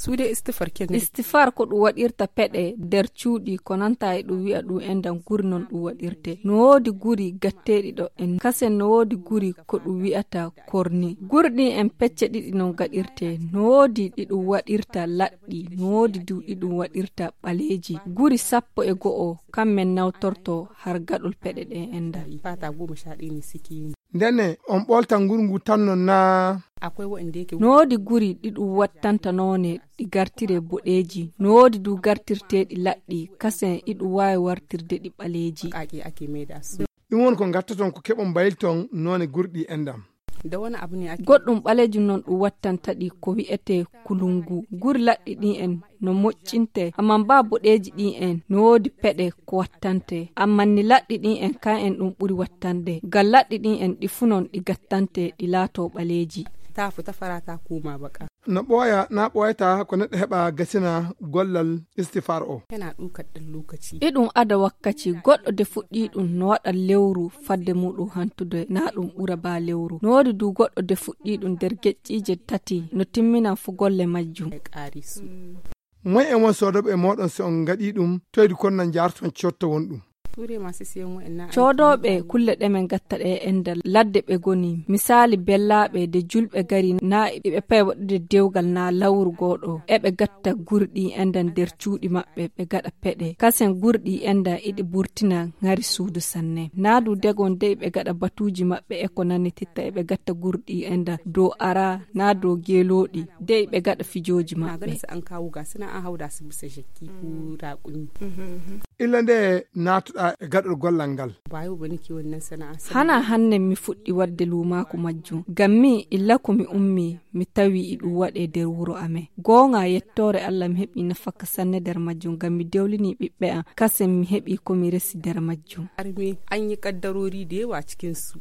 suude istifar ken istifar ko ɗum waɗirta peɗe nder cuuɗi ko nanta e ɗum wi'a ɗum endan guri non ɗum waɗirte. No woodi guri gatteɗi ɗo en kasen no woodi guri ko ɗum wi'ata korni. Guri ɗin en pecce ɗiɗi non gaɗirte. No woodi ɗi ɗum waɗirta laɗɗi, no woodi ɗi ɗum waɗirta ɓaleeji. Guri 11 kammen nawtorto har gaɗol peɗe ɗe enda. Fata 11 ni siki. Ndenne on ɓolta ngurngu tan non na akwai wa'inde yake no woodi guri ɗi ɗum wattanta noone ɗi gartire boɗeeji, no woodi du gartirteɗi laɗɗi kasen iɗum waawi wartirde ɗi ɓaleeji. Ake maida su. ɗum won ko gattaton ko keɓon mbayilton noone gurɗi endam. Da wani abu ne ake goɗɗum ɓaleejum non ɗum wattanta ɗi ko wi'ete kulungu. Guri laɗɗi ɗin en no moccinte amman ba boɗeeji ɗin en no woodi peɗe ko wattante amman ni laɗɗi ɗin en kan en ɗum ɓuri wattande ngam laɗɗi ɗin en ɗi funon ɗi gattante ɗi laato ɓaleeji. Ta futa farata kuma baka. No ɓooya na ɓooyata ko neɗɗo heɓa gasina gollal istifar o. Yana ɗukar ɗan lokaci. Iɗum ada wakkaci goɗɗo de fuɗɗi ɗum no waɗa lewru fadde muɗum hantude na ɗum ɓura ba lewru. No woodi du goɗɗo de fuɗɗi ɗum nder geƴƴiije 3 no timminan fu golle majjum. Moy en won soodoɓe moɗon so on gaɗi ɗum toydi konnan jarton cotto won ɗum. Coodoɓe kulle ɗemen gatta ɗe endal ladde ɓe goni misali bellaɓe de julɓe gari na ɓe pay waɗude dewgal na lawru goɗo eɓe gatta gurɗi enda nder cuuɗi maɓɓe ɓe gaɗa peɗe kasen gurɗi enda iɗi burtina ngari suudu sanne na du degon de ɓe gaɗa batuji maɓɓe e ko nani titta eɓe gatta gurɗi enda dow ara na dow geloɗi de ɓe gaɗa fijoji maɓɓe. Illa nde natuɗa e gaɗol gollal ngal. Hana hanne mi fuɗɗi wadde lumaku majjum. Gammi illa ko mi ummi mi tawi iɗum waɗe nder wuro amen. Gonga yettore Allah mi heɓi nafaka sanne nder majjum ngam mi dewlini ɓiɓɓe am kasen mi heɓi ko mi resi nder majjum. An yi kaddarori da yawa cikin su.